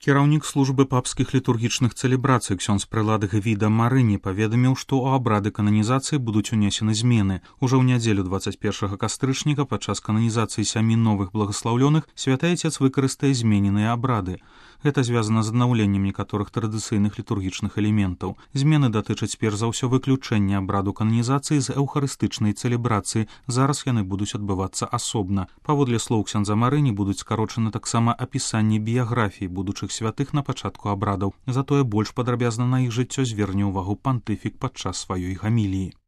Кіраўнік службы папскіх літургічных цэлебрацый ксёндз прэлад Гвіда Марыні паведаміў, што ў абрады кананізацыі будуць унесены змены. Ужо ў нядзелю 21 кастрычніка падчас кананізацыі 7 новых благаслаўлёных святы Айцец выкарыстае змененыя абрады. Гэта звязана з аднаўленнем некаторых традыцыйных літургічных элементаў. Змены датычаць перш за ўсё выключэння абраду кананізацыі з эўхарыстычнай цэлебрацыі. Зараз яны будуць адбывацца асобна. Паводле слоў ксяндза Марыні будуць скарочаны таксама апісанні біяграфій будучых святых на пачатку абрадаў. Затое больш падрабязна на іх жыццё зверне ўвагу пантыфік падчас сваёй гаміліі.